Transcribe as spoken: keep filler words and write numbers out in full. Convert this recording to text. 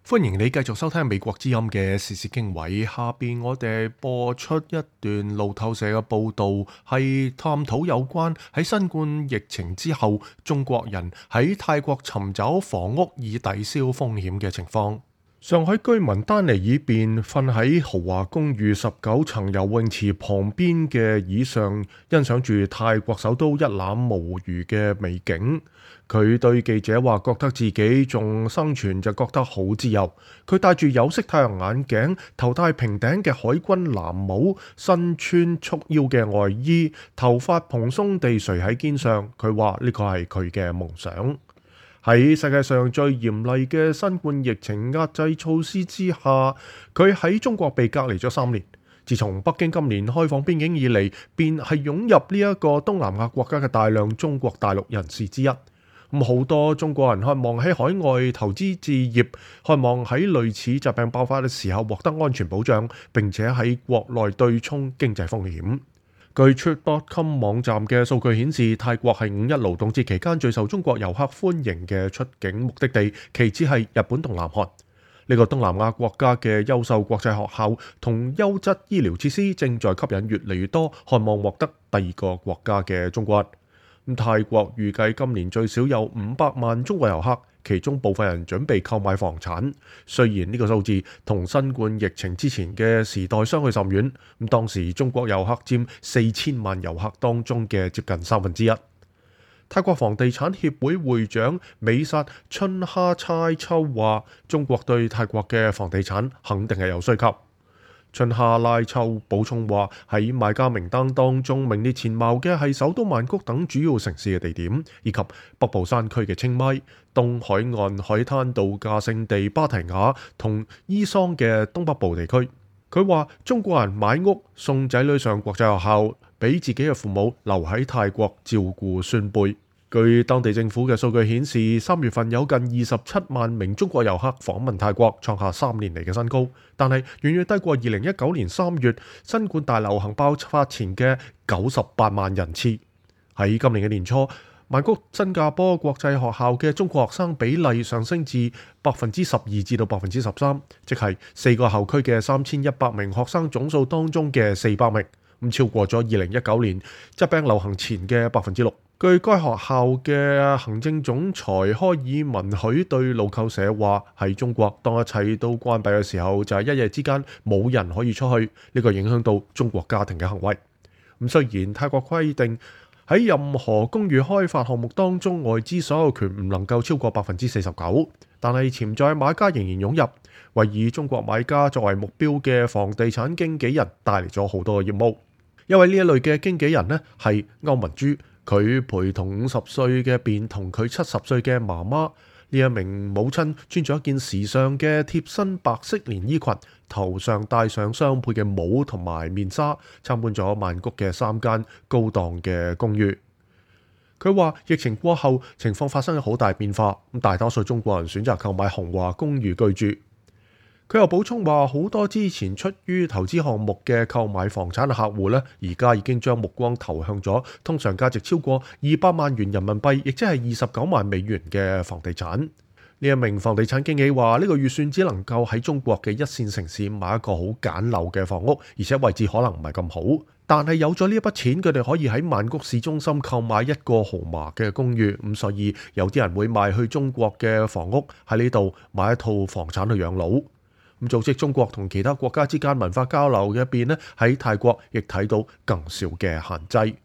歡迎你繼續收聽美國之音嘅時事經緯，下邊我哋播出一段路透社嘅報道，係探討有關喺新冠疫情之後，中國人喺泰國尋找房屋以抵消風險嘅情況。上海居民丹尼爾便瞓喺豪華公寓十九層游泳池旁邊嘅椅上，欣賞住泰國首都一覽無餘嘅美景。佢對記者話：覺得自己仲生存就覺得好自由。佢戴住有色太陽眼鏡，頭戴平頂嘅海軍藍帽，身穿束腰嘅外衣，頭髮蓬鬆地垂喺肩上。佢話呢個係佢嘅夢想。喺世界上最嚴厲嘅新冠疫情壓制措施之下，佢喺中國被隔離咗三年。自從北京今年開放邊境以嚟，便係湧入呢一個東南亞國家嘅大量中國大陸人士之一。咁好多中國人渴望喺海外投資置業，渴望喺類似疾病爆發嘅時候獲得安全保障，並且喺國內對沖經濟風險。據 trip dot com 網站嘅數據顯示，泰國係五一勞動節期間最受中國遊客歡迎嘅出境目的地，其次係日本同南韓。呢個東南亞國家嘅優秀國際學校同優質醫療設施正在吸引越嚟越多渴望獲得第二個國家嘅中國人。泰國預計今年最少有五百萬中國遊客，其中部分人準備購買房產。雖然呢個數字同新冠疫情之前嘅時代相去甚遠，咁當時中國遊客佔四千萬遊客當中嘅接近三分之一。泰國房地產協會會長美薩春哈猜秋話：中國對泰國嘅房地產肯定係有需求。春夏拉秋補充話：喺買家名單當中名列前茅嘅係首都曼谷等主要城市嘅地點，以及北部山區嘅清邁、東海岸海灘度假勝地芭提雅同伊桑嘅東北部地區。佢話：中國人買屋送仔女上國際學校，俾自己嘅父母留喺泰國照顧孫輩。據當地政府嘅數據顯示，三月份有近二十七萬名中國遊客訪問泰國，創下三年嚟嘅新高，但係遠遠低過二零一九年三月新冠大流行爆發前嘅九十八萬人次。喺今年嘅年初，曼谷新加坡國際學校嘅中國學生比例上升至百分之十二至到百分之十三，即係四個校區嘅三千一百名學生總數當中嘅四百名，咁超過咗二零一九年疾病流行前嘅百分之六。據該學校嘅行政總裁開爾文許對路透社話：喺中國，當一切都關閉嘅時候，就係、是、一夜之間冇人可以出去，呢、這個影響到中國家庭嘅行為。咁雖然泰國規定喺任何公寓開發項目當中，外資所有權唔能夠超過百分之四十九，但係潛在買家仍然湧入，為以中國買家作為目標嘅房地產經紀人帶嚟咗好多嘅業務。因為呢一類嘅經紀人呢係歐文珠。佢陪同五十歲嘅便同佢七十歲嘅媽媽，呢一名母親穿咗一件時尚嘅貼身白色連衣裙，頭上戴上雙倍嘅帽同埋面紗，參觀咗曼谷嘅三間高檔嘅公寓。佢話疫情過後情況發生咗好大變化，咁大多數中國人選擇購買豪華公寓居住。佢又補充話，好多之前出於投資項目嘅購買房產嘅客戶呢，而家已經將目光投向咗通常價值超過二百萬元人民幣，亦即係二十九萬美元嘅房地產。呢一名房地產經紀話，呢個預算只能夠喺中國嘅一線城市買一個好簡陋嘅房屋，而且位置可能唔係咁好。但係有咗呢一筆錢，佢哋可以喺曼谷市中心購買一個豪華嘅公寓。咁所以有啲人會賣去中國嘅房屋，喺呢度買一套房產去養老。咁組織中國同其他國家之間文化交流嘅一邊呢，喺泰國亦睇到更少嘅限制。